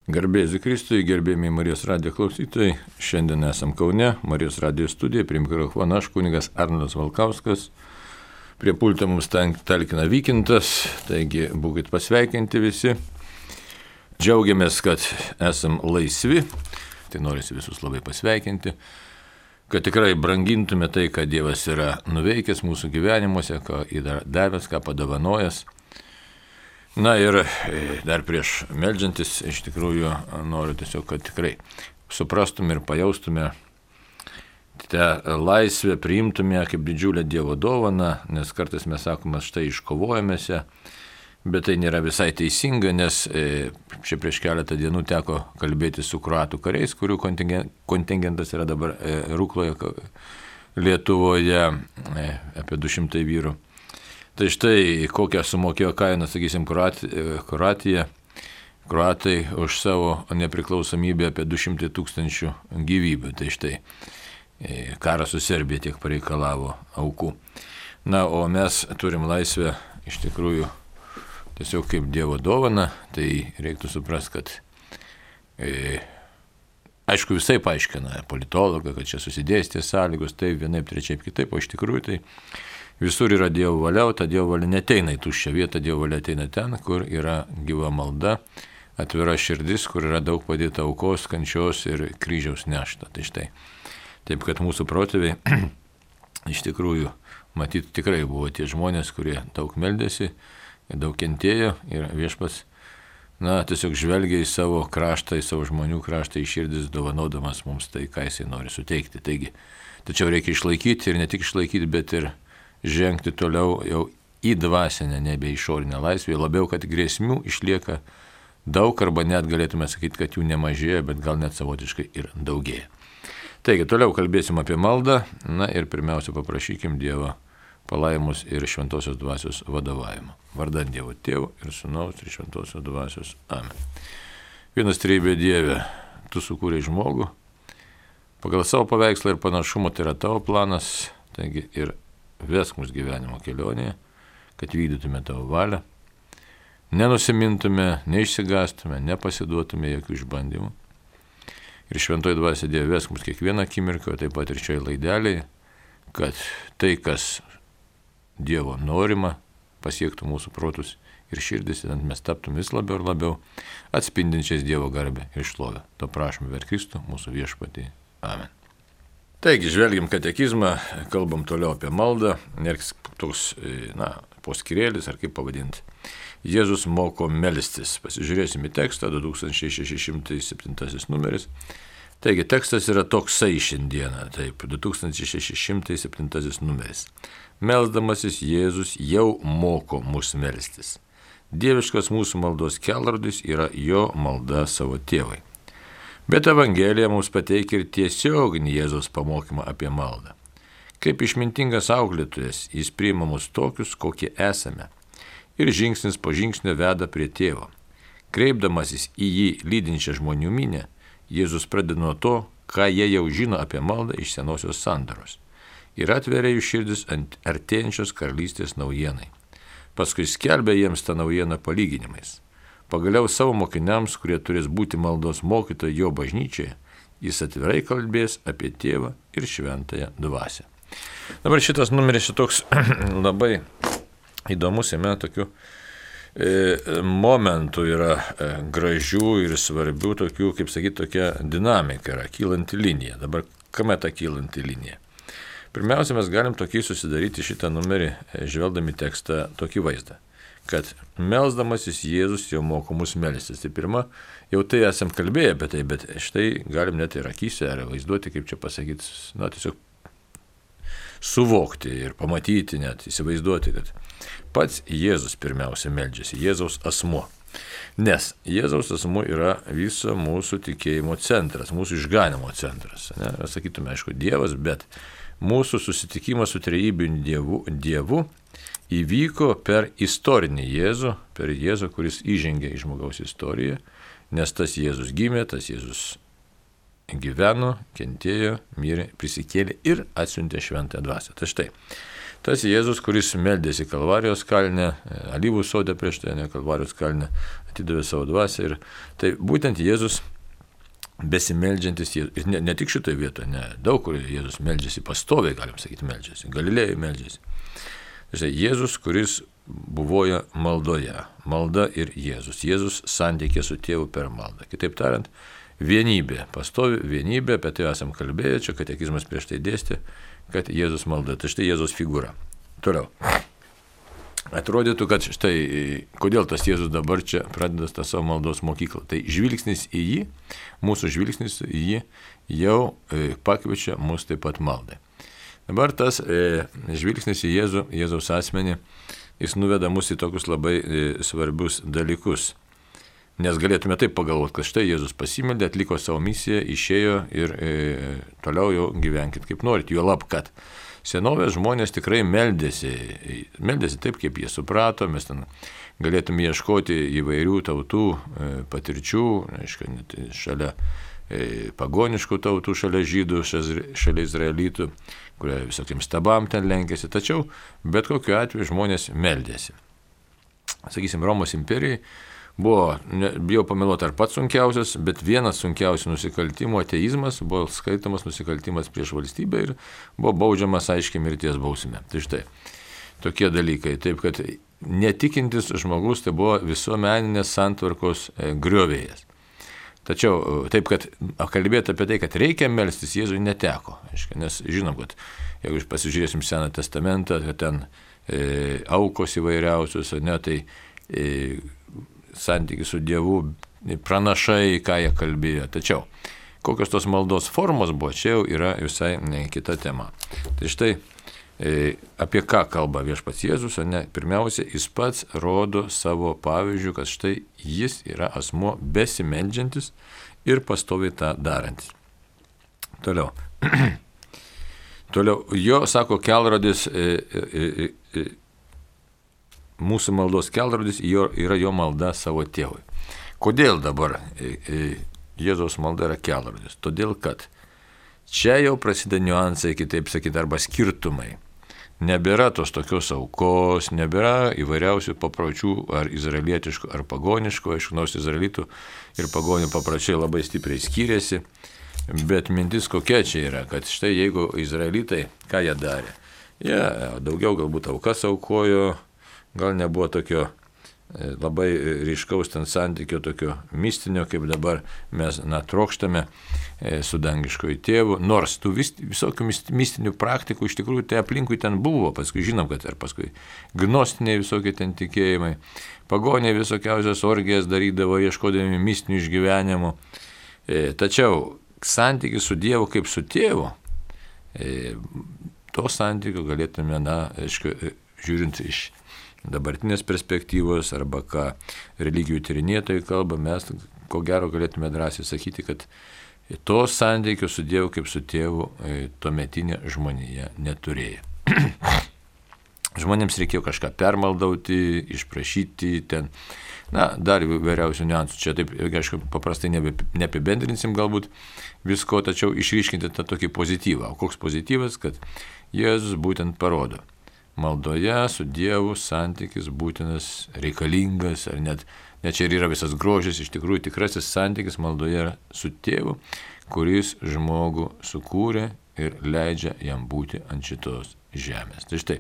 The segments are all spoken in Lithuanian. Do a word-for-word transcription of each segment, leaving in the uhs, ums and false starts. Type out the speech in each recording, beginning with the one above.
Garbėsiu Kristui, gerbėmi Marijos radijo klausytojai. Šiandien esam Kaune, Marijos radijo studija, prie mikrofono aš, kunigas Arnoldas Valkauskas. Prie pulto mums talkina Vykintas, taigi būkit pasveikinti visi. Džiaugiamės, kad esam laisvi, tai norisi visus labai pasveikinti, kad tikrai brangintume tai, ką Dievas yra nuveikęs mūsų gyvenimuose, ką yra davęs, ką padovanojęs. Na ir dar prieš meldžiantis, iš tikrųjų noriu tiesiog, kad tikrai suprastume ir pajaustume tą laisvę, priimtume kaip didžiulę Dievo dovaną, nes kartais mes sakome, štai iškovojamės ją, bet tai nėra visai teisinga, nes čia prieš keletą dienų teko kalbėti su kroatų kariais, kurių kontingentas yra dabar Rukloje, Lietuvoje, apie du šimtai vyrų. Tai štai kokią sumokėjo kainą, sakysim, Kroatija, kroatai už savo nepriklausomybę apie du šimtai tūkstančių gyvybių. Tai štai karas su Serbija tiek pareikalavo aukų. Na, o mes turim laisvę iš tikrųjų tiesiog kaip Dievo dovana, tai reiktų suprasti, kad e, aišku visai paaiškina politologai, kad čia susidėstė sąlygos, taip vienaip, trečiaip, kitaip, o iš tikrųjų tai visur yra Dievo valia, o ta Dievo valia neteina į tuščią vietą, Dievo valia ateina ten, kur yra gyva malda, atvira širdis, kur yra daug padėta aukos, kančios ir kryžiaus nešta. Tai štai. Taip, kad mūsų protėviai iš tikrųjų, matyt, tikrai buvo tie žmonės, kurie daug meldėsi, daug kentėjo ir Viešpats, na, tiesiog žvelgia į savo kraštą, į savo žmonių kraštą, į širdis, dovanodamas mums tai, ką jisai nori suteikti. Taigi, tačiau reikia išlaikyti ir ne tik išlaikyti, bet ir žengti toliau jau į dvasinę, nebe išorinę laisvę, labiau, kad grėsmių išlieka daug, arba net galėtume sakyti, kad jų nemažėja, bet gal net savotiškai ir daugėja. Taigi, toliau kalbėsim apie maldą, na ir pirmiausia paprašykim Dievo palaimus ir šventosios dvasios vadovavimo. Vardan Dievo Tėvo ir Sūnaus ir šventosios dvasios. Amen. Vienas trejybė Dieve, tu sukūrei žmogų, pagal savo paveikslą ir panašumą tai yra tavo planas, taigi ir vesk mus gyvenimo kelionėje, kad vykdytume tavo valią, nenusimintume, neišsigastume, nepasiduotume jokių išbandymų. Ir šventoji dvasia Dieve vesk mus kiekvieną akimirką, taip pat ir šioje laidelėje, kad tai, kas Dievo norima, pasiektų mūsų protus ir širdis, ir mes taptum vis labiau ir labiau atspindinčiais Dievo garbę ir šlovę. To prašome per Kristų, mūsų viešpatį. Amen. Taigi, žvelgiam katekizmą, kalbam toliau apie maldą, ir toks, na, poskirėlis, ar kaip pavadinti. Jėzus moko melstis. Pasižiūrėsim į tekstą, du tūkstančiai šeši šimtai septintasis numeris. Taigi, tekstas yra toksai šiandieną, taip, du tūkstančiai šeši šimtai septintasis numeris. Melsdamasis Jėzus jau moko mus melstis. Dieviškas mūsų maldos kelrodis yra jo malda savo tėvui. Bet Evangelija mums pateikia ir tiesioginį Jėzaus pamokymą apie maldą. Kaip išmintingas auklėtojas, jis priima mus tokius, kokie esame, ir žingsnis po žingsnio veda prie tėvo. Kreipdamasis į jį lydinčią žmonių minę, Jėzus pradeda nuo to, ką jie jau žino apie maldą iš senosios sandaros, ir atveria jų širdis ant artėjančios karalystės naujienai. Paskui skelbia jiems tą naujieną palyginimais. Pagaliau savo mokiniams, kurie turės būti maldos mokytojai jo bažnyčioje, jis atvirai kalbės apie tėvą ir šventąją dvasią. Dabar šitas numeris šitoks labai įdomus, jame tokių e, momentų yra e, gražių ir svarbių, tokių, kaip sakyti, tokia dinamika yra, kylanti linija. Dabar kame ta kylanti linija? Pirmiausia, mes galim tokį susidaryti šitą numerį, žvelgdami tekstą, tokį vaizdą, kad melsdamasis Jėzus jau moko mus melstis. Tai pirma, jau tai esam kalbėję apie tai, bet štai galim net ir akyse ar vaizduoti, kaip čia pasakyti, na tiesiog suvokti ir pamatyti, net įsivaizduoti, kad pats Jėzus pirmiausia meldžiasi, Jėzaus asmuo. Nes Jėzaus asmuo yra viso mūsų tikėjimo centras, mūsų išganimo centras. Ne? Sakytume, aišku, Dievas, bet mūsų susitikimas su trejybiniu Dievu, Dievu įvyko per istorinį Jėzų, per Jėzų, kuris įžengė į žmogaus istoriją, nes tas Jėzus gimė, tas Jėzus gyveno, kentėjo, mirė, prisikėlė ir atsiuntė šventąją dvasią. Tai štai, Tas Jėzus, kuris meldėsi Kalvarijos kalne, alyvų sode prieš tai, ne Kalvarijos kalne, atidavė savo dvasią. Ir tai būtent Jėzus besimeldžiantis, ne, ne tik šitoje vietoje, ne, daug kur Jėzus meldžiasi, pastoviai, galim sakyti, meldžiasi, Galilėjai meldžiasi. Tai Jėzus, kuris buvoja maldoje, malda ir Jėzus, Jėzus santykė su tėvu per maldą. Kitaip tariant, vienybė, pastovi vienybė, apie tai esam kalbėję, čia katekizmas prieš tai dėstė, kad Jėzus malda, tai štai Jėzus figūra. Toliau. Atrodytų, kad štai, kodėl tas Jėzus dabar čia pradeda tą savo maldos mokyklą. Tai žvilgsnis į jį, mūsų žvilgsnis į jį jau pakviečia mus taip pat maldai. Dabar tas e, žvilgsnis į Jėzų, Jėzaus asmenį, jis nuveda mus į tokius labai e, svarbius dalykus. Nes galėtume taip pagalvoti, kad štai Jėzus pasimeldė, atliko savo misiją, išėjo ir e, toliau jau gyvenkit kaip norit. Juolab, kad senovės žmonės tikrai meldėsi, meldėsi taip, kaip jie suprato, mes ten galėtume ieškoti įvairių tautų e, patirčių, aišku, net šalia e, pagoniškų tautų, šalia žydų, šalia izraelitų, kurie visokiam stabam ten lenkėsi, tačiau bet kokiu atveju žmonės meldėsi. Sakysim, Romos imperijai buvo, ne, bijau pameluoti, ar pats sunkiausias, bet vienas sunkiausių nusikaltimų, ateizmas, buvo skaitomas nusikaltimas prieš valstybę ir buvo baudžiamas aiškiai mirties bausme. Tai štai, tokie dalykai. Taip, kad netikintis žmogus tai buvo visuomeninės santvarkos griovėjas. Tačiau taip, kad kalbėti apie tai, kad reikia melstis, Jėzui neteko. Aiškia, nes žinom, kad jeigu pasižiūrėsim Seną testamentą, kad ten e, aukos įvairiausios, ne, tai e, santykis su Dievu, pranašai, ką jie kalbėjo. Tačiau kokios tos maldos formos buvo, čia jau yra visai ne, kita tema. Tai štai e, apie ką kalba viešpats Jėzus, ne? Pirmiausia, jis pats rodo savo pavyzdžių, kad štai jis yra asmuo besimeldžiantis ir pastoviai tą darantis. Toliau. Toliau, jo, sako, kelrodis, e, e, e, mūsų maldos kelrodis jo, yra jo malda savo tėvui. Kodėl dabar e, e, Jėzaus malda yra kelrodis? Todėl, kad čia jau prasideda niuansai, kitaip sakyti, arba skirtumai. Nebėra tos tokios aukos, nebėra įvairiausių papročių, ar izraelietiškų, ar pagoniškų, aišku, nors izraelitų ir pagonių papročiai labai stipriai skiriasi, bet mintis kokia čia yra, kad štai jeigu izraelitai, ką jie darė, jie daugiau galbūt aukas aukojo, gal nebuvo tokio labai ryškaus ten santykio, tokio mistinio, kaip dabar mes, na, trokštame su dangiškoju tėvu, nors tų vis, visokių mistinių praktikų iš tikrųjų tai aplinkui ten buvo, paskui žinom, kad ir paskui gnostiniai visokie ten tikėjimai, pagoniai visokiausias orgijas darydavo, ieškodami mistinių išgyvenimų, e, tačiau santykis su Dievu kaip su tėvu, e, to santykio galėtume, na, aišku, žiūrint iš dabartinės perspektyvos arba ką religijų tyrinėtojai kalba, mes ko gero galėtume drąsiai sakyti, kad to santykio su Dievu kaip su tėvu tuometinė žmonija neturėjo. Žmonėms reikėjo kažką permaldauti, išprašyti ten, na, dar įvairiausių niuansų. Čia taip, aišku, paprastai neapibendrinsim galbūt visko, tačiau išryškinti tą tokį pozityvą. O koks pozityvas, kad Jėzus būtent parodo. Maldoje su Dievu santykis būtinas, reikalingas, ar net, net čia ir yra visas grožis, iš tikrųjų tikrasis santykis maldoje yra su Tėvu, kuris žmogų sukūrė ir leidžia jam būti ant šitos žemės. Tai štai,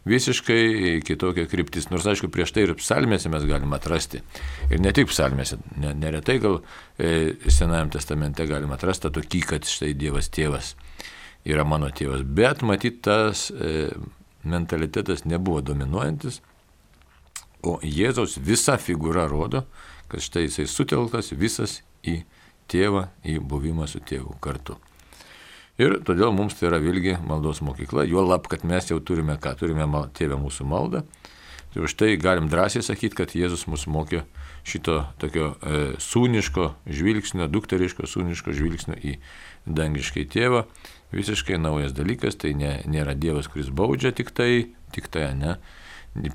visiškai kitokia kryptis, nors aišku, prieš tai ir psalmėse mes galime atrasti, ir ne tik psalmėse, ne, neretai gal e, Senajam testamente galime atrasti tokį, kad štai Dievas tėvas yra mano tėvas, bet matyt tas e, mentalitetas nebuvo dominuojantis, o Jėzaus visa figūra rodo, kad štai jisai sutelktas visas į tėvą, į buvimą su tėvu kartu. Ir todėl mums tai yra vėlgi maldos mokykla, juolab, kad mes jau turime ką, turime mal, tėvę mūsų maldą, tai už tai galim drąsiai sakyti, kad Jėzus mus mokė šito tokio e, sūniško žvilgsnio, dukteriško sūniško žvilgsnio į dangiškai tėvą. Visiškai naujas dalykas, tai ne, nėra Dievas, kuris baudžia tik tai, tik tai, ne.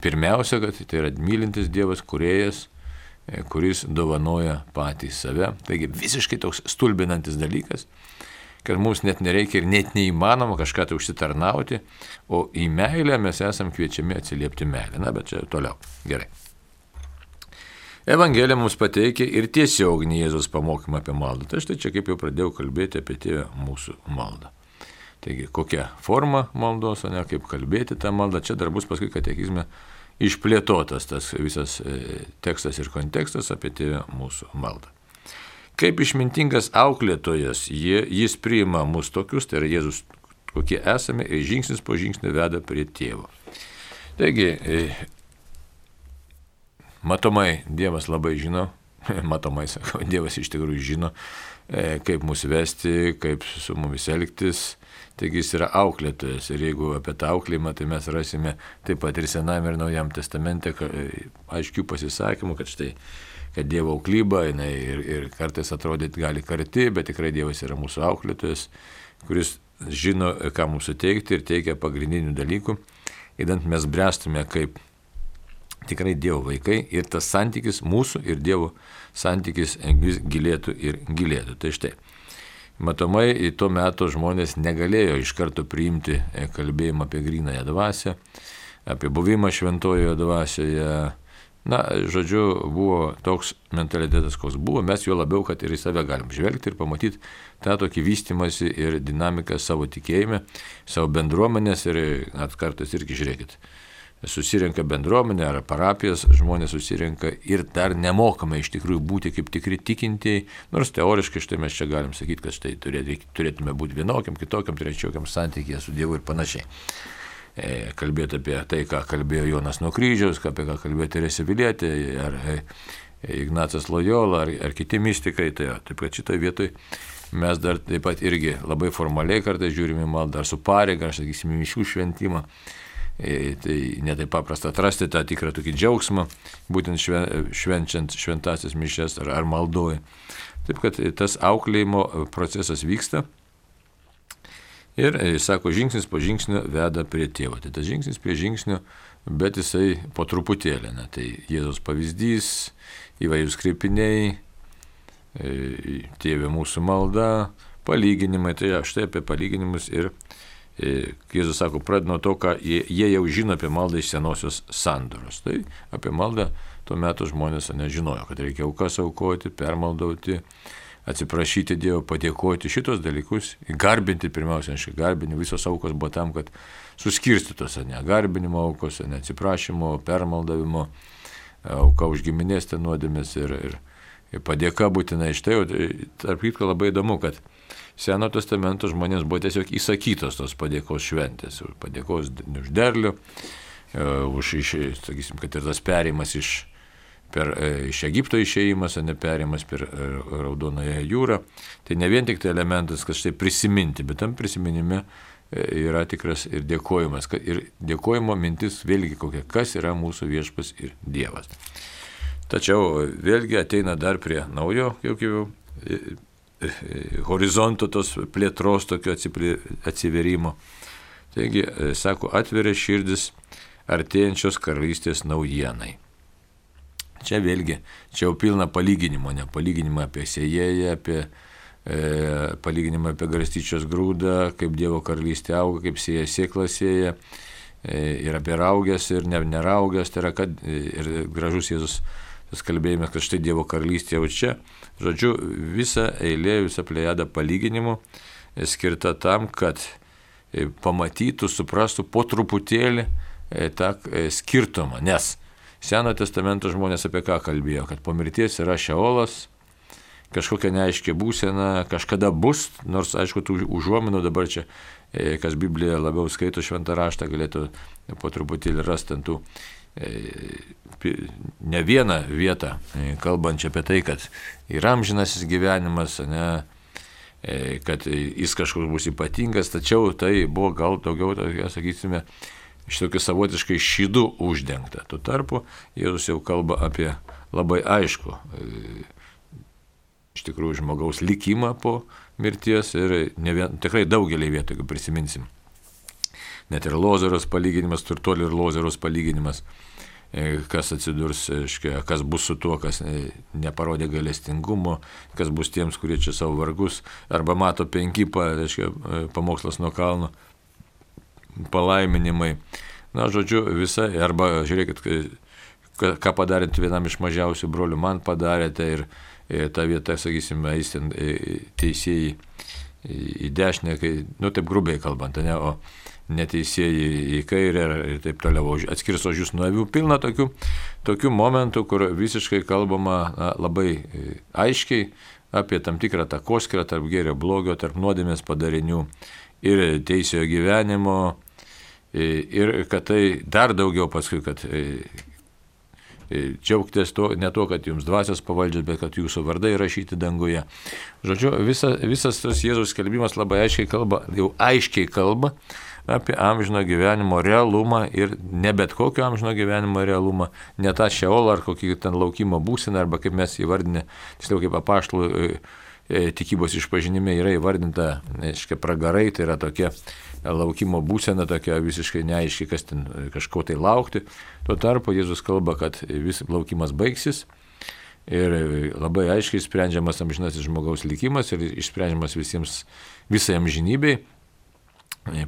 Pirmiausia, kad tai yra mylintis Dievas, kūrėjas, kuris dovanoja patį save. Taigi visiškai toks stulbinantis dalykas, kad mums net nereikia ir net neįmanoma kažką tai užsitarnauti, o į meilę mes esam kviečiami atsiliepti meilę. Na, bet čia toliau. Gerai. Evangelija mums pateikia ir tiesioginį Jėzaus pamokymą apie maldą. Tai štai čia kaip jau pradėjau kalbėti apie Tėvą mūsų maldą. Taigi, kokia forma maldos, o ne kaip kalbėti tą maldą. Čia dar bus paskui katekizme išplėtotas tas visas e, tekstas ir kontekstas apie Tėvą mūsų maldą. Kaip išmintingas auklėtojas, jie, jis priima mus tokius, tai yra Jėzus, kokie esame, ir žingsnis po žingsnio veda prie Tėvo. Taigi, e, matomai Dievas labai žino, matomai sakau, Dievas iš tikrųjų žino, e, kaip mus vesti, kaip su mumis elgtis. Taigi jis yra auklėtojas ir jeigu apie tą auklėjimą, tai mes rasime taip pat ir Senajame ir Naujam testamente aiškių pasisakymų, kad štai, kad Dievo auklyba, jinai ir, ir kartais atrodyti gali karti, bet tikrai Dievas yra mūsų auklėtojas, kuris žino, ką mums suteikti ir teikia pagrindinių dalykų, įdant mes bręstume kaip tikrai Dievo vaikai ir tas santykis mūsų ir Dievo santykis vis gilėtų ir gilėtų. Tai štai. Matomai, į tuo metu žmonės negalėjo iš karto priimti kalbėjimą apie grynąją dvasią, apie buvimą šventojoje dvasioje. Na, žodžiu, buvo toks mentalitetas, koks buvo, mes jo labiau, kad ir į save galim žvelgti ir pamatyti tą tokį vystimąsi ir dinamiką savo tikėjime, savo bendruomenės ir net kartais irgi žiūrėkit. Susirenka bendruomenė ar parapijas, žmonės susirenka ir dar nemokame iš tikrųjų būti kaip tikri tikintieji, nors teoriškai štai mes čia galim sakyti, kad štai turėtume būti vienokiam, kitokiam, trečiokiam santykyje su Dievu ir panašiai. E, kalbėti apie tai, ką kalbėjo Jonas nuo kryžiaus, apie ką kalbėjo Teresė Vilietė, ar e, Ignacas Lojola, ar, ar kiti mystikai. Tai, taip kad šitoje vietoje mes dar taip pat irgi labai formaliai kartais žiūrime maldą, dar su pareiga, aš sakysime, mišių šventimą. E, tai netai paprasta atrasti tą tikrą tokį džiaugsmą, būtent šven, švenčiant šventasias mišias ar, ar maldoje. Taip kad tas auklėjimo procesas vyksta ir, e, sako, žingsnis po žingsnio veda prie Tėvo. Tai tas žingsnis prie žingsnio, bet jisai po truputėlį. Na, tai Jėzaus pavyzdys, įvairūs kreipiniai, e, Tėve mūsų malda, palyginimai. Tai štai apie palyginimus ir Jėzus sako, pradeda nuo to, ką jie, jie jau žino apie maldą iš senosios sandoros. Tai apie maldą tuo metu žmonės nežinojo, kad reikia aukas aukoti, permaldauti, atsiprašyti Dievo, padėkoti šitos dalykus, garbinti pirmiausia, aišku, garbinti, visos aukos buvo tam, kad suskirstytos, ne garbinimo aukos, ne atsiprašymo, permaldavimo, auka už giminės ten nuodėmės ir, ir, ir padėka būtinai iš tai. Tarp kitko labai įdomu, kad Seno testamento žmonėms buvo tiesiog įsakytos tos padėkos šventės, padėkos už derlių, už, iš, sakysim, kad ir tas perėjimas iš, per, iš Egipto išėjimas, o ne perėjimas per Raudonąją jūrą. Tai ne vien tik tai elementas, kad štai prisiminti, bet tam prisiminime yra tikras ir dėkojimas. Ir dėkojimo mintis vėlgi kokia, kas yra mūsų viešpas ir Dievas. Tačiau vėlgi ateina dar prie naujo, jau kaip jau, horizonto tos plėtros, tokio atsiverimo. Taigi, sako, atveria širdis artėjančios karalystės naujienai. Čia vėlgi, čia jau pilna palyginimo, ne palyginimą apie sėjėją, apie e, palyginimą apie garstyčios grūdą, kaip Dievo karalystė auga, kaip sėja sėkla sėja, e, ir apie raugęs ir ne, neraugęs, tai yra, kad ir gražus Jėzus tas kalbėjimas, kad štai Dievo karalystė jau čia. Žodžiu, visa eilė, visa plejada palyginimų skirta tam, kad pamatytų, suprastų po truputėlį tą skirtumą. Nes Seno testamento žmonės apie ką kalbėjo, kad po mirties yra šeolas, kažkokia neaiškia būsena, kažkada bus, nors aišku, tų užuominų dabar čia, kas Bibliją labiau skaito šventą raštą, galėtų po truputėlį rasti ant tų ne vieną vietą, kalbančią apie tai, kad yra amžinasis gyvenimas, ne, kad jis kažkoks bus ypatingas, tačiau tai buvo gal daugiau, sakysime, iš tokių savotiškai šydų uždengta. Tuo tarpu Jėzus jau kalba apie labai aišku, iš tikrųjų, žmogaus likimą po mirties ir ne vien, tikrai daugelį vietų, jeigu prisiminsim. Net ir Lozaros palyginimas, turtuolio ir Lozaros palyginimas. kas atsidurs, kas bus su tuo, kas neparodė gailestingumo, kas bus tiems, kurie čia savo vargus, arba mato penkipą, reiškia, pamokslas nuo kalno, palaiminimai. Na, žodžiu, visai, arba žiūrėkit, ką padarėte vienam iš mažiausių brolių, man padarėte ir, ir ta vieta, sakysime, eis ten teisėjai į dešinę, kai, nu taip grubiai kalbant, ne, o neteisėjai į kairę ir taip toliau, atskirs ožius nuo avių. Pilna tokių, tokių momentų, kur visiškai kalbama na, labai aiškiai apie tam tikrą takoskyrą tarp gėrio blogio, tarp nuodėmės padarinių ir teisiojo gyvenimo, ir kad tai dar daugiau paskui, kad džiaugtės to, ne to, kad jums dvasios pavaldžios, bet kad jūsų vardai rašyti danguje. Žodžiu, visa, visas tas Jėzaus skelbimas labai aiškiai kalba, jau aiškiai kalba apie amžino gyvenimo realumą ir ne bet kokio amžino gyvenimo realumą, ne tą šeolą ar kokį ten laukimo būseną, arba kaip mes įvardinę, tiksliau kaip apaštalų tikybos išpažinime yra įvardinta, aiškiai, pragarai, tai yra tokia laukimo būsena, tokia visiškai neaiški, kas ten kažko tai laukti. Tuo tarpu Jėzus kalba, kad vis laukimas baigsis ir labai aiškiai sprendžiamas amžinasis žmogaus likimas ir išsprendžiamas visiems, visai amžinybei,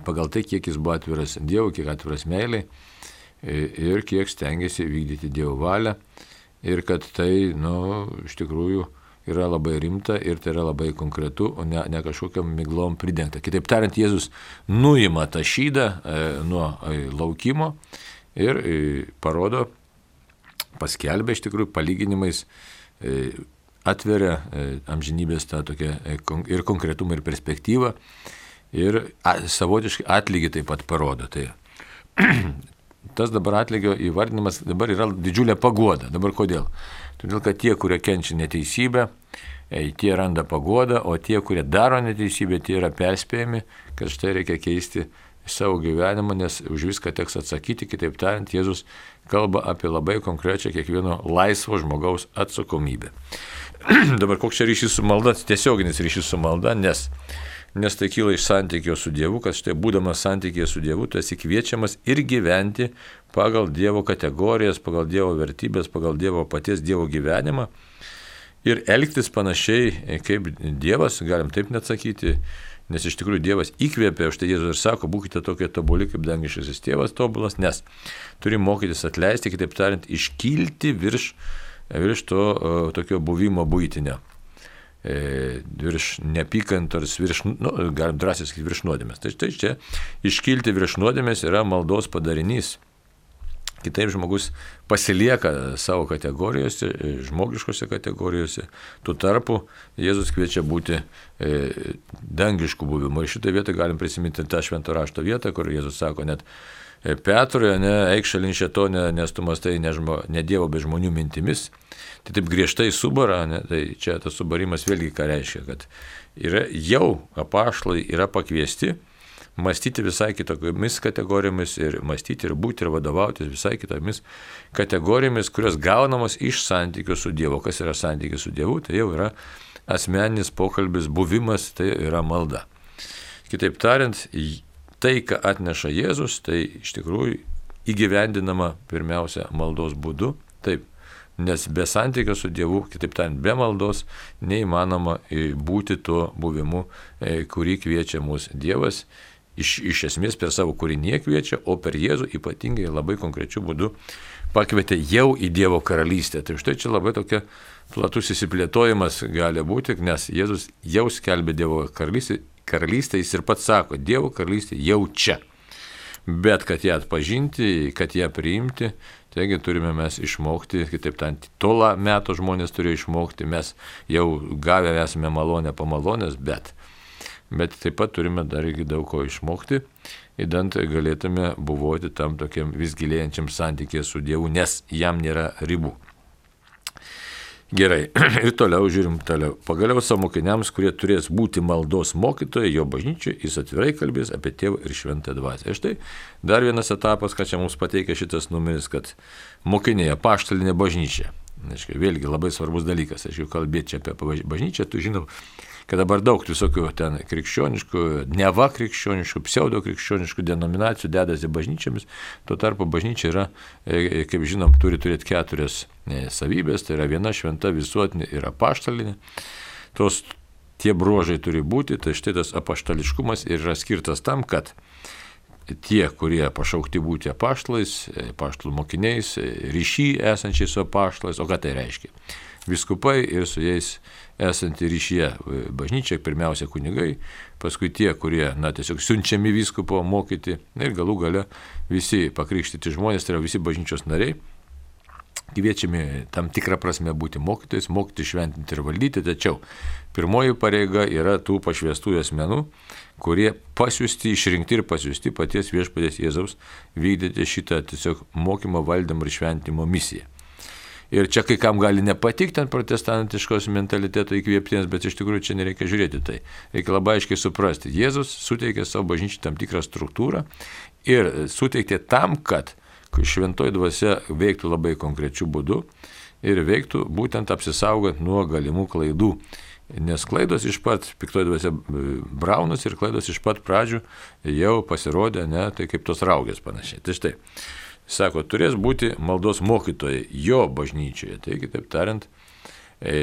pagal tai, kiek jis buvo atviras Dievui, kiek atviras meiliai ir kiek stengiasi vykdyti Dievo valią ir kad tai, nu, iš tikrųjų yra labai rimta ir tai yra labai konkretu, o ne, ne kažkokiam miglom pridengta. Kitaip tariant, Jėzus nuima tą šydą e, nuo e, laukimo ir e, parodo, paskelbė iš tikrųjų palyginimais, e, atveria e, amžinybės tą tokią e, ir konkretumą, ir perspektyvą. Ir savotiškai atlygį taip pat parodo. Tai tas dabar atlygio įvardinimas dabar yra didžiulė paguoda. Dabar kodėl? Todėl, kad tie, kurie kenčia neteisybę, tie randa paguodą, o tie, kurie daro neteisybę, tie yra perspėjami, kad štai reikia keisti savo gyvenimą, nes už viską teks atsakyti. Kitaip tariant, Jėzus kalba apie labai konkrečią kiekvieno laisvo žmogaus atsakomybę. Dabar koks čia ryšys su malda? Tiesioginis ryšys su malda, nes Nes tai kyla iš santykio su Dievu, kad štai būdamas santykėje su Dievu, tu esi kviečiamas ir gyventi pagal Dievo kategorijas, pagal Dievo vertybės, pagal Dievo paties Dievo gyvenimą ir elgtis panašiai kaip Dievas, galim taip net sakyti, nes iš tikrųjų Dievas įkvėpė, už tai Jėzus ir sako, būkite tokie tobuli kaip dangiškasis tėvas tobulas, nes turi mokytis atleisti, kitaip tariant, iškilti virš, virš to tokio buvimo buitinio. Virš neapykantos, virš, nu, galim drąsiai sakyti, virš nuodėmės. Tai, tai čia iškilti virš nuodėmės yra maldos padarinys. Kitaip žmogus pasilieka savo kategorijose, žmogiškose kategorijose. Tuo tarpu Jėzus kviečia būti e, dangiškų buvimų. Ir šitą vietą galim prisiminti tą švento rašto vietą, kur Jėzus sako net Petrui, ne, eik šalin šėtonę, nes tu mąstai ne, žmo, ne Dievo, bet žmonių mintimis. Tai taip griežtai subara, ne, tai čia tas subarimas vėlgi ką reiškia, kad yra, jau apaštalai yra pakviesti mąstyti visai kitokiamis kategorijomis ir mąstyti ir būti ir vadovautis visai kitomis kategorijomis, kurios gaunamos iš santykių su Dievu. Kas yra santykis su Dievu? Tai jau yra asmeninis pokalbis, buvimas, tai yra malda. Kitaip tariant, tai, ką atneša Jėzus, tai iš tikrųjų įgyvendinama pirmiausia maldos būdu. Taip, nes be santykio su Dievu, kitaip tariant, be maldos, neįmanoma būti tuo buvimu, kurį kviečia mūsų Dievas. Iš, iš esmės per savo kūrinį kviečia, o per Jėzų ypatingai labai konkrečiu būdu pakvietė jau į Dievo karalystę. Tai štai čia labai tokia platus įsiplėtojimas gali būti, nes Jėzus jau skelbė Dievo karalystę. Karalystė, jis ir pats sako, Dievo karalystė jau čia. Bet kad ją atpažinti, kad ją priimti, taigi turime mes išmokti, kitaip tariant, tolą metų žmonės turėjo išmokti, mes jau gavę esame malonę po malonės, bet, bet taip pat turime dar irgi daug ko išmokti, įdant galėtume buvoti tam tokiam vis gilėjančiam santykėje su Dievu, nes jam nėra ribų. Gerai, ir toliau žiūrim toliau. Pagaliau savo mokiniams, kurie turės būti maldos mokytojai, jo bažnyčioje, jis atvirai kalbės apie Tėvą ir Šventąją Dvasią. Ir štai dar vienas etapas, ką čia mums pateikia šitas numeris, kad mokiniai, apaštalinė bažnyčia. Aiškiai, vėlgi labai svarbus dalykas, aiškiai, kalbėti čia apie bažnyčią, tu žinom, kad dabar daug visokių ten krikščioniškų, neva krikščioniškų, pseudo krikščioniškų denominacijų dedasi bažnyčiamis, tuo tarpu bažnyčia yra, kaip žinom, turi turėti keturias savybės, tai yra viena šventa, visuotinė ir apaštalinė. Tos tie bruožai turi būti, tai štai tas apaštališkumas yra skirtas tam, kad tie, kurie pašaukti būti apaštalais, apaštalų mokiniais, ryšy esančiais su apaštalais, o ką tai reiškia? Vyskupai ir su jais esanti ryšyje bažnyčia, pirmiausia kunigai, paskui tie, kurie, na, tiesiog siunčiami vyskupo mokyti ir galų gale visi pakrikštyti žmonės, tai yra visi bažnyčios nariai, kviečiami tam tikrą prasme būti mokytojais, mokyti, šventinti ir valdyti, tačiau pirmoji pareiga yra tų pašvestųjų asmenų, kurie pasiųsti, išrinkti ir pasiųsti paties viešpaties Jėzaus vykdyti šitą tiesiog mokymo, valdymo ir šventinimo misiją. Ir čia kai kam gali nepatikti ant protestantiškos mentaliteto įkvėptiems, bet iš tikrųjų čia nereikia žiūrėti tai. Reikia labai aiškiai suprasti. Jėzus suteikė savo bažnyčiai tam tikrą struktūrą ir suteikė tam, kad šventoji dvasia veiktų labai konkrečių būdų ir veiktų būtent apsisaugant nuo galimų klaidų. Nes klaidos iš pat, piktoji dvasia braunas ir klaidos iš pat pradžių jau pasirodė, ne, tai kaip tos raugės panašiai. Tai štai. Sako, turės būti maldos mokytojai jo bažnyčioje. Tai kitaip tariant,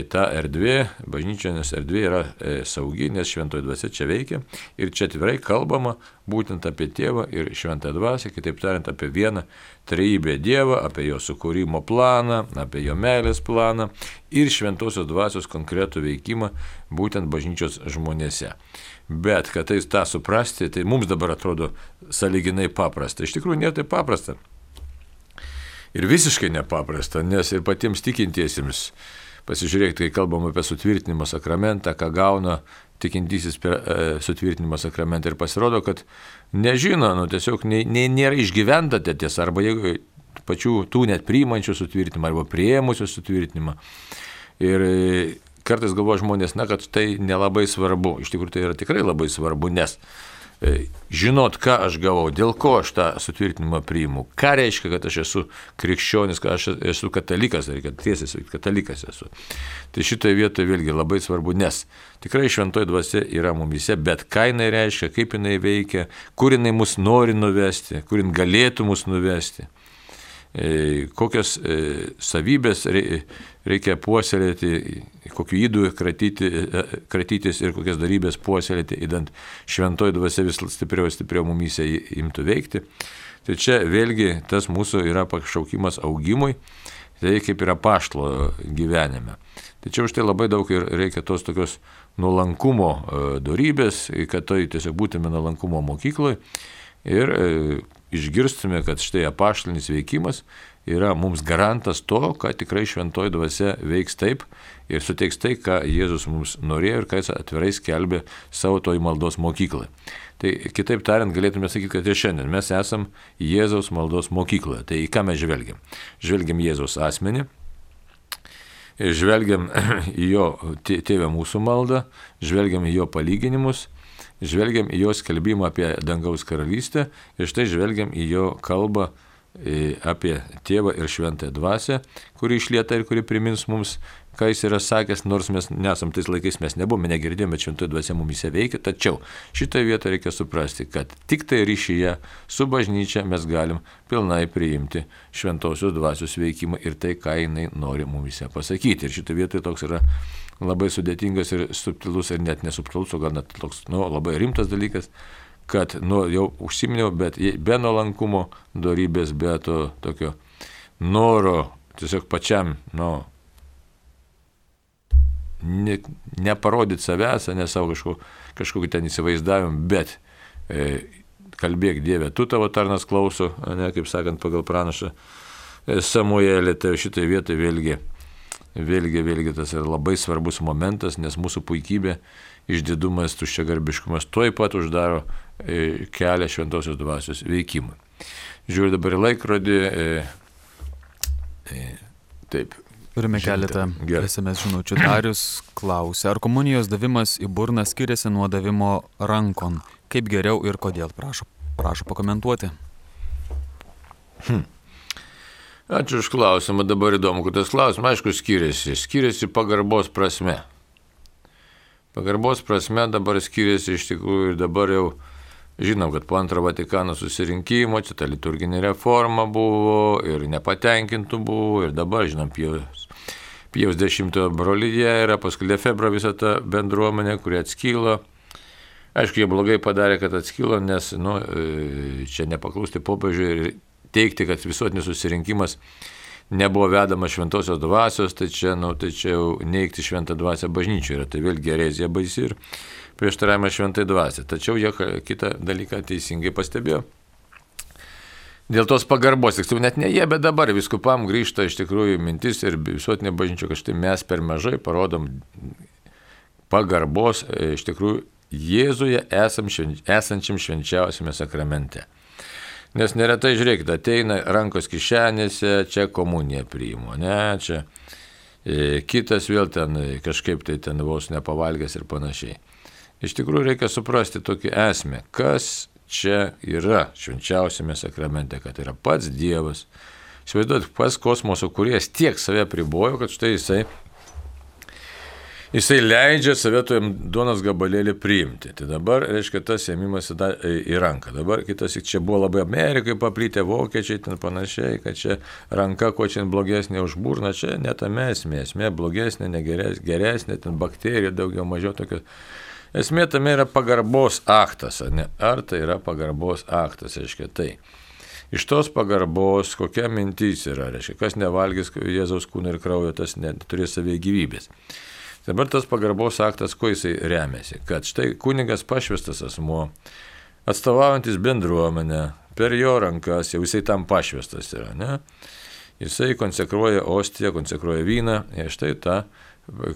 ta erdvė, bažnyčios erdvė yra saugi, nes šventoji dvasia čia veikia. Ir čia atvirai kalbama būtent apie tėvą ir šventąją dvasią, kitaip tariant, apie vieną trejybę Dievą, apie jo sukūrimo planą, apie jo meilės planą ir šventosios dvasios konkretų veikimą būtent bažnyčios žmonėse. Bet, kad tai tą suprasti, tai mums dabar atrodo sąlyginai paprasta. Iš tikrųjų, nėra tai paprasta. Ir visiškai nepaprasta, nes ir patiems tikintiesiems, pasižiūrėkite, kai kalbam apie sutvirtinimo sakramentą, ką gauna tikintysis per e, sutvirtinimo sakramentą ir pasirodo, kad nežino, nu, tiesiog ne, ne, nėra išgyventa tiesa, arba jeigu pačių tų net priimančių sutvirtinimą, arba priėmusių sutvirtinimą. Ir e, kartais galvoja žmonės, na, kad tai nelabai svarbu. Iš tikrųjų, tai yra tikrai labai svarbu, nes žinot, ką aš gavau, dėl ko aš tą sutvirtinimą priimu, ką reiškia, kad aš esu krikščionis, kad aš esu katalikas, reikia tiesiai sakyti, katalikas esu. Tai šitoje vietoje vėlgi labai svarbu, nes tikrai šventoji dvasia yra mumise, bet ką jinai reiškia, kaip jinai veikia, kur jinai mus nori nuvesti, kur jinai galėtų mus nuvesti, kokias savybės reikia puoselėti, kokiu įdu kratyti, kratytis ir kokias darybės puoselėti, įdant šventoji dvasia vis stipriau ir stipriau mumyse imtų veikti. Tai čia vėlgi tas mūsų yra pašaukimas augimui, tai kaip yra apaštalo gyvenime. Tačiau už tai labai daug ir reikia tos tokios nuolankumo dorybės, kad tai tiesiog būtume nuolankumo mokykloje ir išgirstume, kad štai apaštalinis veikimas yra mums garantas to, kad tikrai šventoji dvasia veiks taip ir suteiks tai, ką Jėzus mums norėjo ir ką jis atvirai skelbė savo toj maldos mokyklai. Tai kitaip tariant, galėtume sakyti, kad ir šiandien mes esam Jėzaus maldos mokykloje. Tai į ką mes žvelgiam? Žvelgiam Jėzaus asmenį, žvelgiam į jo tėvę mūsų maldą, žvelgiam į jo palyginimus, žvelgiam į jo skelbimą apie dangaus karalystę ir štai žvelgiam į jo kalbą apie tėvą ir šventąją dvasią, kuri išlieta ir kuri primins mums, ką jis yra sakęs, nors mes nesam tais laikais, mes nebuvome, negirdėjome, bet šventoji dvasia mumise veikia, tačiau šitoje vietoje reikia suprasti, kad tik tai ryšyje su bažnyčia mes galim pilnai priimti šventosios dvasios veikimą ir tai, ką jinai nori mumise pasakyti. Ir šitoje vietoje toks yra labai sudėtingas ir subtilus ir net nesubtilus, o gal net toks, nu, labai rimtas dalykas, kad, nu, jau užsiminiau, bet be nuolankumo dorybės, be to tokio noro tiesiog pačiam, nu, ne, neparodyti savęs, ne savo kažko, kažkokį ten įsivaizdavimą, bet e, kalbėk Dieve, tu tavo tarnas klauso, ne, kaip sakant, pagal pranašą e, Samuelį, tai šitai vietai vėlgi, vėlgi, vėlgi tas yra labai svarbus momentas, nes mūsų puikybė, išdidumas, tuščiagarbiškumas tuoj pat uždaro e, kelią šventosios dvasios veikimui. Žiūriu dabar į laikrodį. E, e, taip. Turime keletą S M S žinučių. Darius klausia, ar komunijos davimas į burną skiriasi nuo davimo rankon? Kaip geriau ir kodėl? Prašau, prašau pakomentuoti. Hm. Ačiū už klausimą. Dabar įdomu, kad tas klausimas, aišku, skiriasi. Skiriasi pagarbos prasme. Pagarbos prasme dabar skiriasi iš tikrųjų ir dabar jau žinom, kad po antro Vatikano susirinkimo čia ta liturginė reforma buvo ir nepatenkintų buvo ir dabar, žinom, Pijaus, Pijaus dešimtojo brolyje yra, paskui Lefebvro visa ta bendruomenė, kuri atskilo. Aišku, jie blogai padarė, kad atskilo, nes nu, čia nepaklusti popiežiui ir teikti, kad visuotinis susirinkimas nebuvo vedama šventosios dvasios, tai čia, nu, tai čia jau neigti šventą dvasią bažnyčioje yra, tai vėlgi erezija baisi ir prieštaravimas šventai dvasiai. Tačiau jie kitą dalyką teisingai pastebėjo. Dėl tos pagarbos, tiksliau net ne jie, bet dabar viskupam grįžta iš tikrųjų mintis ir visuotinė bažnyčia, kad štai mes per mažai parodom pagarbos iš tikrųjų Jėzuje esam, esančiam švenčiausiame sakramente. Nes neretai, žiūrėkite, ateina rankos kišenėse, čia komuniją priimu, ne, čia e, kitas vėl ten kažkaip tai ten vos nepavalgęs ir panašiai. Iš tikrųjų reikia suprasti tokį esmę, kas čia yra švenčiausiame sakramente, kad yra pats Dievas. Įsivaizduojat, pats kosmoso kūrėjas tiek save pribojo, kad štai jisai Jisai leidžia save tojam duonos gabalėlį priimti. Tai dabar, reiškia, tas ėmimas į ranką. Dabar kitas, čia buvo labai Amerikai paplytę vokiečiai, ten panašiai, kad čia ranka kuo čia blogesnė už burną, čia netame esmė, esmė blogesnė, negeresnė, geresnė, ten bakterijų daugiau mažiau tokios. Esmė tame yra pagarbos aktas, ne? Ar tai yra pagarbos aktas, reiškia tai. Iš tos pagarbos kokia mintis yra, reiškia, kas nevalgys Jėzaus kūno ir kraujo, tas neturės savie gyvybės. Dabar tas pagarbos aktas, kuo jisai remiasi, kad štai kunigas pašvestas asmuo, atstovaujantis bendruomenę, per jo rankas, jau jisai tam pašvestas yra, ne? Jisai konsekruoja ostiją, konsekruoja vyną, ir štai tą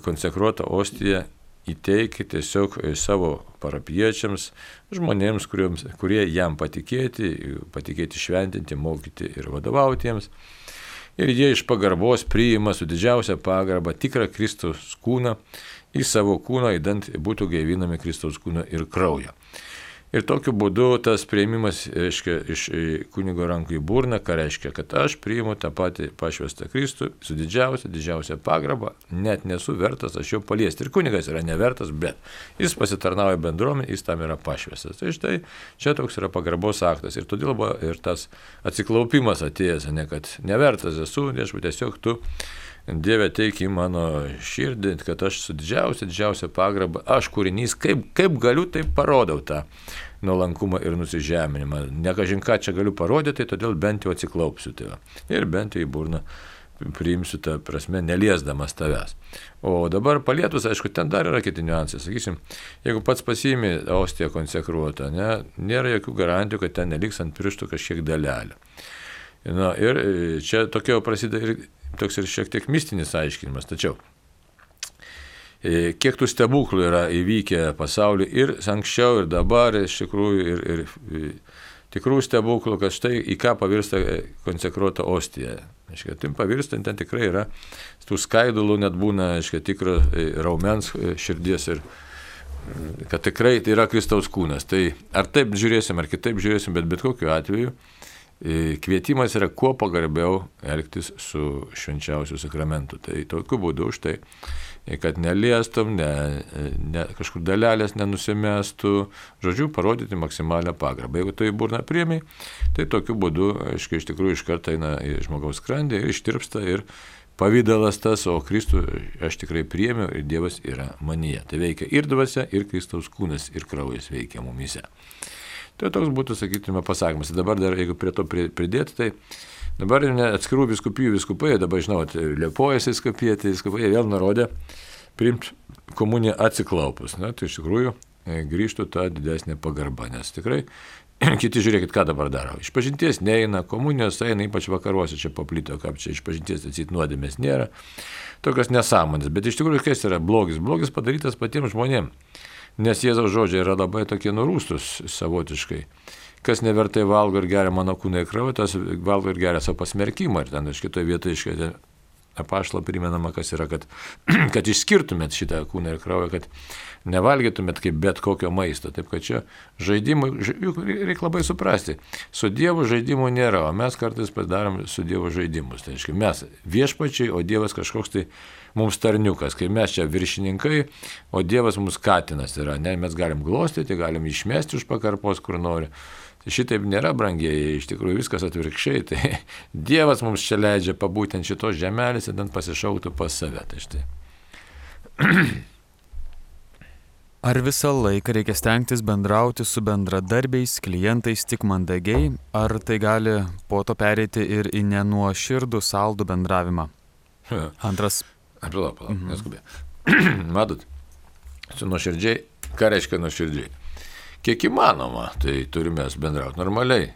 konsekruotą ostiją įteikia tiesiog savo parapiečiams, žmonėms, kuriems, kurie jam patikėti, patikėti šventinti, mokyti ir vadovauti jiems. Ir jie iš pagarbos priima su didžiausia pagarba tikrą Kristaus kūną į savo kūną, įdant būtų gaivinami Kristaus kūno ir kraujo. Ir tokiu būdu tas priėmimas, reiškia, iš kunigo rankų į burną, ką reiškia, kad aš priimu tą patį pašvestą Kristų su didžiausia, didžiausia pagarba, net nesu vertas aš jo paliesti. Ir kunigas yra nevertas, bet jis pasitarnauja bendruomenį, jis tam yra pašvestas. Tai štai čia toks yra pagarbos aktas. Ir todėl buvo ir tas atsiklaupimas atėjęs, ne kad nevertas esu, viešpatie, tiesiog tu, Dieve, teik į mano širdį, kad aš su didžiausia, didžiausia pagarba, aš kūrinys, kaip, kaip galiu, taip parodau tą nuolankumą ir nusižeminimą. Nekažin ką čia galiu parodyti, tai todėl bent jau atsiklaupsiu tave. Ir bent jau į burną priimsiu tą prasme, neliesdamas tavęs. O dabar palietus, aišku, ten dar yra kiti niuansai. Sakysim, jeigu pats pasiimi ostiją konsekruotą, ne, nėra jokių garantijų, kad ten neliks ant pirštų kažkiek dalelė. Na, ir čia tokio prasideda ir toks ir šiek tiek mistinis aiškinimas. Tačiau, kiek tų stebuklų yra įvykę pasaulyje ir anksčiau, ir dabar, iš tikrųjų, ir, ir tikrų stebuklų, kad štai į ką pavirsta konsekruota ostija. Aiškia, tim pavirsta, ten tikrai yra, tų skaidulų net būna, aiškia, tikro raumens širdies ir kad tikrai tai yra Kristaus kūnas. Tai ar taip žiūrėsim, ar kitaip žiūrėsim, bet bet kokiu atveju kvietimas yra kuo pagarbiau elgtis su švenčiausiu sakramentu. Tai tokiu būdu už tai, kad neliestum, ne, ne, kažkur dalelės nenusimestų, žodžiu, parodyti maksimalią pagarbą. Jeigu tu į burną priemi, tai tokiu būdu, aiškiai, iš tikrųjų iš karto eina į žmogaus skrandį ir ištirpsta ir pavydalas tas, o Kristų aš tikrai priėmiau ir Dievas yra manyje. Tai veikia ir dvasia, ir Kristaus kūnas, ir kraujas veikia mumyse. Tai toks būtų, sakytume, pasakymas. Dabar dar, jeigu prie to pridėti, tai dabar ne atskirų viskupijų viskupai, dabar, žinot, Liepojos viskupija, tai viskupai vėl nurodė priimti komuniją atsiklaupus. Na, tai iš tikrųjų grįžtų tą didesnę pagarbą, nes tikrai kiti žiūrėkit, ką dabar daro. Išpažinties neina, komunijos eina, ypač vakaruose čia paplito, kaip čia išpažinties atsit nuodėmės nėra. Tokios nesąmonės, bet iš tikrųjų kas yra blogis? Blogis padarytas patiems žmonėms. Nes Jėzaus žodžiai yra labai tokie nurūstus savotiškai. Kas nevertai valgo ir geria mano kūną ir kraują, tas valgo ir geria savo pasmerkimą. Ir ten iš kitoje vietoje iškėtė apaštalo primenama, kas yra, kad, kad išskirtumėt šitą kūną ir kraują, kad nevalgytumėt kaip bet kokio maisto. Taip kad čia žaidimų, juk reikia labai suprasti, su Dievu žaidimų nėra, o mes kartais padarom su Dievu žaidimus. Tai reiškia, mes viešpačiai, o Dievas kažkoks tai mums tarniukas, kai mes čia viršininkai, o Dievas mums katinas yra, ne, mes galim glostyti, galim išmesti už pakarpos, kur nori. Tai šitaip nėra, brangieji, iš tikrųjų viskas atvirkščiai, tai Dievas mums čia leidžia pabūti ant šitos žemelės ir ten pasišauktų pas save. Tai štai. Ar visą laiką reikia stengtis bendrauti su bendradarbiais, klientais tik mandagiai, ar tai gali po to pereiti ir į nenuoširdų saldų bendravimą? Antras. Palauk, palauk, mhm. neskubė. Matot, su nuoširdžiai, ką reiškia nuoširdžiai? Kiek įmanoma, tai turime bendrauti normaliai.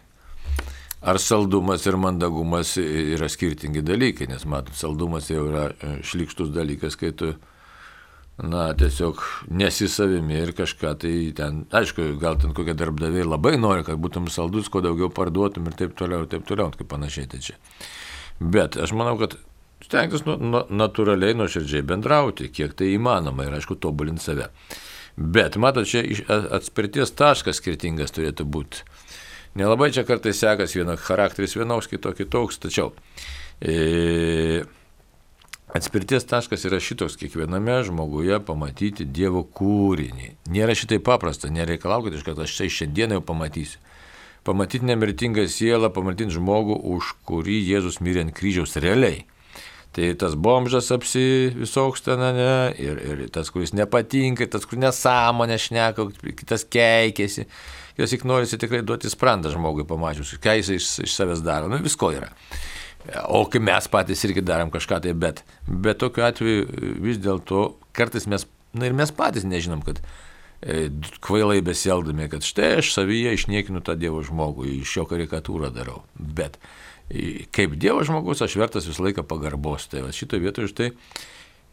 Ar saldumas ir mandagumas yra skirtingi dalykai, nes matot, saldumas jau yra šlykštus dalykas, kai tu na, tiesiog nesi savimi ir kažką tai ten, aišku, gal ten kokie darbdaviai labai nori, kad būtum saldus, kuo daugiau parduotum ir taip toliau, ir taip toliau, kaip panašiai tai čia. Bet aš manau, kad stengtis nu, nu, natūraliai, nuoširdžiai bendrauti, kiek tai įmanoma ir, aišku, tobulinti save. Bet, matot, čia atspirties taškas skirtingas turėtų būti. Nelabai čia kartais sekas vienas charakteris vienoks, kitoks kitoks, tačiau e, atspirties taškas yra šitoks kiekviename žmoguje pamatyti Dievo kūrinį. Nėra šitai paprasta, nereikalaukit iš kad aš tai šiandien jau pamatysiu. Pamatyti nemirtingą sielą, pamatyti žmogų, už kurį Jėzus mirė ant kryžiaus realiai. Tai tas bomžas apsi visoks ten, ne, ir, ir tas, kuris nepatinka, tas, kuris nesąmonę šneka, kitas keikėsi. Jos tik norisi tikrai duoti sprandą žmogui pamačius, ką jis iš, iš savęs daro. Nu, visko yra. O kai mes patys irgi darom kažką tai, bet, bet tokiu atveju vis dėlto kartais mes, na ir mes patys nežinom, kad e, kvailai besielgdami, kad štai aš savyje išniekinu tą Dievo žmogų, iš jo karikatūrą darau. Bet e, kaip Dievo žmogus aš vertas visą laiką pagarbos. Tai va, šito vietoje štai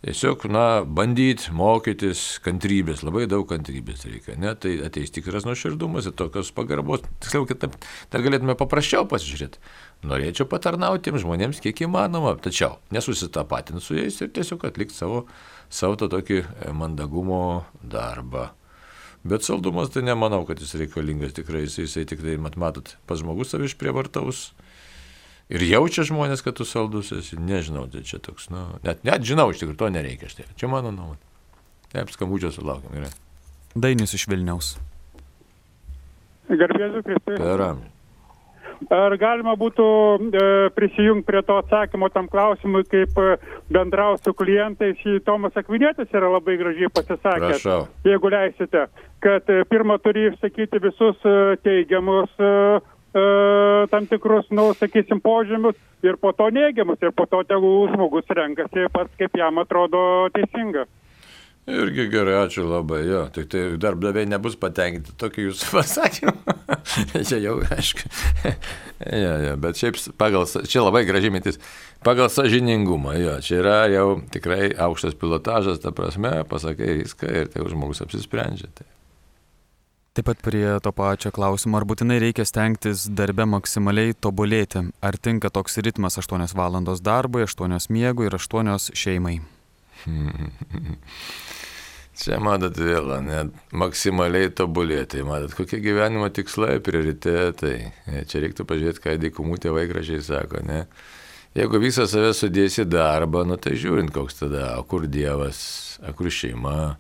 tiesiog, na, bandyti, mokytis kantrybės, labai daug kantrybės reikia, ne, tai ateis tikras nuoširdumas ir tokios pagarbos, tiksliau, kitaip, dar galėtume paprasčiau pasižiūrėti. Norėčiau patarnauti tiems žmonėms kiek įmanoma, tačiau nesusitapatinti su jais ir tiesiog atlikti savo, savo to tokį mandagumo darbą. Bet saldumas tai nemanau, kad jis reikalingas tikrai, jisai, jisai tikrai, mat, matot, pas žmogus savi išprievartaus. Ir jaučia žmonės, kad tu saldus esi, nežinau, tai čia toks, nu, net, net žinau, iš tikrųjų, to nereikia, štai, čia mano nuomonė. Taip, skambučio sulaukiam, gerai. Dainis iš Vilniaus. Garbėsiu Kristui. Per amžių. Ar galima būtų e, prisijungti prie to atsakymo tam klausimui, kaip e, bendrauti su klientais, į Tomas Akvinietis yra labai gražiai pasisakęs. Prašau. Jeigu leisite, kad e, pirmą turi išsakyti visus e, teigiamus e, e, tam tikrus, nu, sakysim, požymius ir po to neigiamus ir po to tegul žmogus renkasi pats, kaip jam atrodo teisinga. Irgi gerai, ačiū labai, jo, tik tai darbdaviai nebus patenkinti tokį jūsų pasakymą. Čia jau, aišku, ja, ja, bet šiaip pagal, čia labai graži mintis, pagal sąžiningumą, jo, čia yra jau tikrai aukštas pilotažas, ta prasme, pasakai viską ir tai žmogus apsisprendžia. Tai. Taip pat prie to pačio klausimo, ar būtinai reikia stengtis darbe maksimaliai tobulėti, ar tinka toks ritmas aštuonios valandos darbui, aštuonios miegui ir aštuonios šeimai. Čia, matot, vėl, net maksimaliai tobulėti, matot, kokie gyvenimo tikslai, prioritetai. Čia reiktų pažiūrėti, ką dykumų tėvai gražiai sako, ne? Jeigu visą save sudėsi darbą, nu tai žiūrint, koks tada, o kur Dievas, o kur šeima.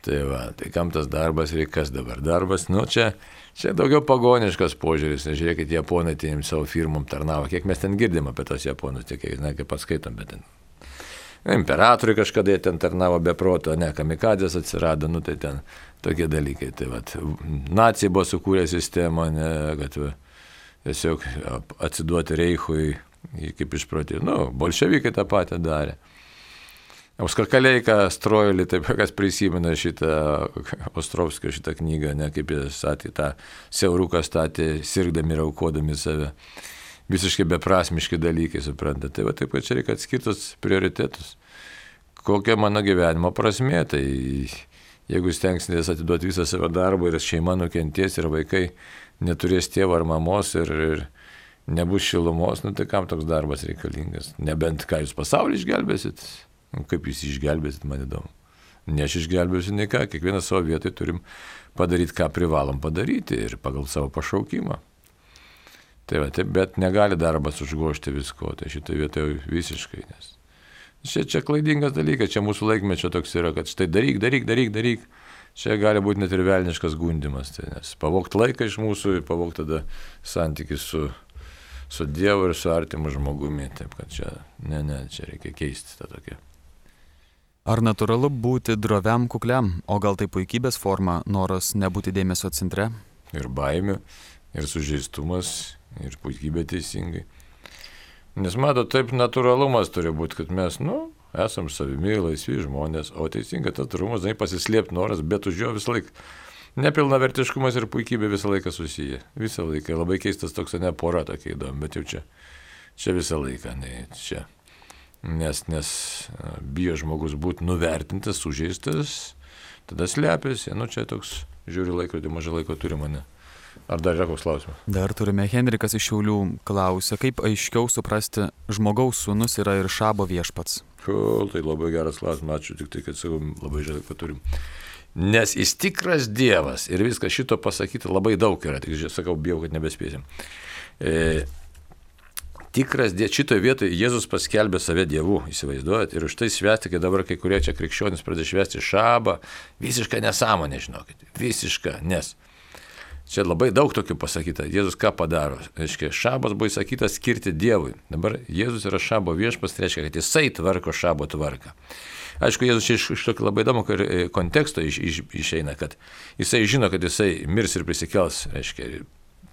Tai va, tai kam tas darbas reikia, kas dabar darbas, nu čia, čia daugiau pagoniškas požiūris, nežiūrėkit, japonai tiem savo firmom tarnavo, kiek mes ten girdim apie tos japonus, tiek, na, kaip paskaitom, bet ten. Imperatoriai kažkada jie ten tarnavo be proto, ne, kamikadzės atsirado, nu tai ten tokie dalykai. Tai vat, nacijai buvo sukūrę sistemą, ne, kad va, tiesiog atsiduoti Reichui, kaip išprotį, nu, bolševikai tą patį darė. Auskarkaleika Strojulį, taip kas prisimena šitą Ostrovskio šitą knygą, ne, kaip jis statė tą siauruką statė, sirgdami ir aukodami save. Visiškai beprasmiški dalykai, suprantate. Tai va taip, kad čia reikia atskirtus prioritetus. Kokia mano gyvenimo prasmė, tai jeigu stengsitės atiduoti visą savo darbą ir šeima nukentės ir vaikai neturės tėvo ar mamos ir, ir nebus šilumos, nu tai kam toks darbas reikalingas? Nebent ką jūs pasaulį išgelbėsit? Nu, kaip jūs išgelbėsit, man įdomu. Ne aš išgelbėsiu nei ką, kiekvieną savo vietoj turim padaryti, ką privalom padaryti ir pagal savo pašaukimą. Tai va, taip, bet negali darbas užgožti visko, tai šitoje vietoje visiškai, nes Čia, čia klaidingas dalykas, čia mūsų laikmečio toks yra, kad štai daryk, daryk, daryk, daryk. Čia gali būti net ir velniškas gundimas, tai nes pavogti laiką iš mūsų ir pavogti tada santykį su, su Dievu ir su artimu žmogumi. Taip kad čia, ne, ne, čia reikia keisti tą tokią. Ar natūralu būti droviam, kukliam, o gal tai puikybės forma, noras nebūti dėmesio centre? Ir baimė, ir sužeistumas, ir puikybė teisingai. Nes mato, taip natūralumas turi būti, kad mes, nu, esam savimi, laisvi žmonės, o teisingai tas natūralumas, tai pasislėpti noras, bet už jo visą laiką. Nepilnavertiškumas ir puikybė visą laiką susiję. Visą laiką. Labai keistas toks, ne pora tokia įdomi, bet jau čia, čia visą laiką, ne, čia. Nes, nes bijo žmogus būti nuvertintas, sužeistas, tada slepiasi, nu čia toks, žiūri laikrodį, mažai laiko turi mane. Ar dar yra koks klausimas? Dar turime Henrikas iš Šiaulių klausia, kaip aiškiau suprasti, žmogaus sūnus yra ir Šabo viešpats. O, tai labai geras klausimas, ačiū, tik tai, kad sakau, labai žinai, kad turim. Nes jis tikras Dievas ir viskas šito pasakyti labai daug yra, tik sakau, bijau, kad nebespėsim. E, tikras Dievas, šitoje vietoje Jėzus paskelbė save Dievu, įsivaizduojat, ir už tai švęsti, kai dabar kai kurie čia krikščionys pradeda švęsti Šabą, visiška nesąmonė, žinokit, visiška, nes čia labai daug tokių pasakyta. Jėzus ką padaro? Reiškia, Šabas buvo įsakytas skirti Dievui. Dabar Jėzus yra Šabo viešpas, tai reiškia, kad jisai tvarko Šabo tvarką. Aišku, Jėzus iš, iš tokio labai įdomu konteksto iš, iš, išeina, kad jisai žino, kad jisai mirs ir prisikels. Reiškia,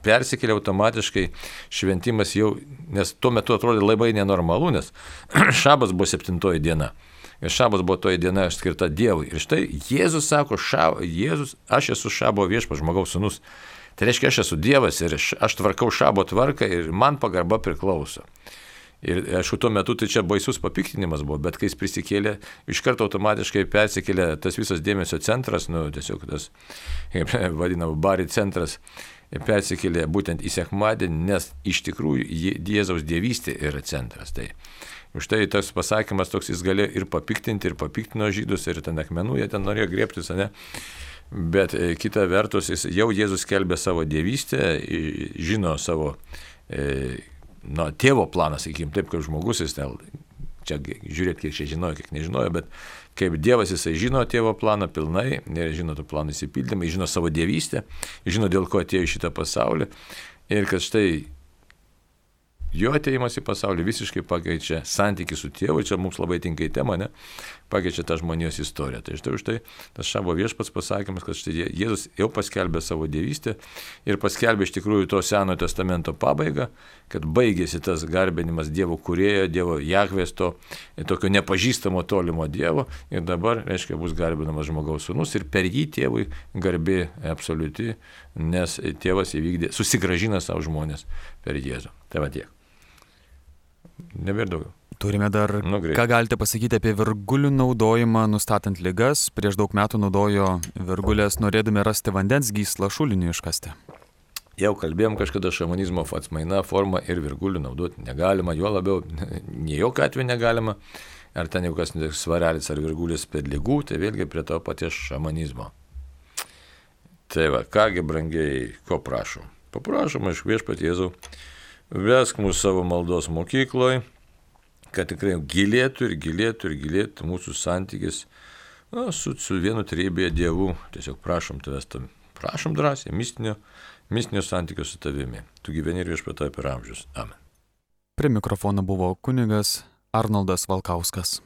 persikėlė automatiškai šventimas jau, nes tuo metu atrodė labai nenormalu, nes Šabas buvo septintoji diena. Ir Šabas buvo toji diena skirta Dievui. Ir štai Jėzus sako, šab, Jėzus, aš esu Šabo viešpas, žmogaus sūnus. Tai reiškia, aš esu Dievas ir aš tvarkau Šabo tvarką ir man pagarba priklauso. Ir aišku, tuo metu tai čia baisus papiktinimas buvo, bet kai jis prisikėlė, iš karto automatiškai persikėlė tas visas dėmesio centras, nu tiesiog tas, kaip vadinama, bari centras, persikėlė būtent į sekmadienį, nes iš tikrųjų Jėzaus dievystė yra centras. Tai už tai tas pasakymas toks, jis galėjo ir papiktinti, ir papiktino žydus, ir ten akmenų, jie ten norėjo griebtis, ne? Bet kita vertus, jis, jau Jėzus skelbė savo dievystę, žino savo e, na, tėvo planą, sakykim, taip kaip žmogus, jis ten, čia žiūrėt, kiek čia žinojo, kiek nežinojo, bet kaip Dievas jisai žino tėvo planą pilnai, žino tų planų įsipildymą, žino savo dievystę, žino dėl ko atėjo į šitą pasaulį ir kad štai jo atėjimas į pasaulį visiškai pakeičia santykį su tėvu, čia mums labai tinka į temą, ne? Pakeičia tą žmonijos istoriją. Tai štai už tai tas Šabo viešpats pasakymas, kad štai Jėzus jau paskelbė savo dievystę ir paskelbė iš tikrųjų to Senojo testamento pabaigą, kad baigėsi tas garbinimas Dievo kūrėjo, Dievo Jahvės, to tokio nepažįstamo tolimo Dievo ir dabar, reiškia, bus garbinamas žmogaus sūnus ir per jį tėvui garbė absoliuti, nes tėvas įvykdė, susigrąžina savo žmonės per Jėzų. Tai va tiek. Nebėr daugiau. Turime dar, nu, ką galite pasakyti apie virgulių naudojimą nustatant ligas. Prieš daug metų naudojo virgulės norėdami rasti vandens gyslą šuliniui iškasti. Jau kalbėjom kažkada šamanizmo atmaina forma ir virgulių naudoti negalima, juo labiau, nie jokio atveju negalima. Ar ten jau kas svarelis ar virgulis per ligų, tai vėlgi prie to paties šamanizmo. Tai va, kągi brangiai, ko prašom? Paprašom iš viešpatie Jėzau, vesk mūsų savo maldos mokykloje, kad tikrai gilėtų ir gilėtų ir gilėtų mūsų santykis na, su, su vienu trejybėje Dievu. Tiesiog prašom tavęs, tam, prašom drąsiai, mistinio, mistinio santykio su tavimi. Tu gyveni ir viešpatie per amžius. Amen. Prie mikrofono buvo kunigas Arnoldas Valkauskas.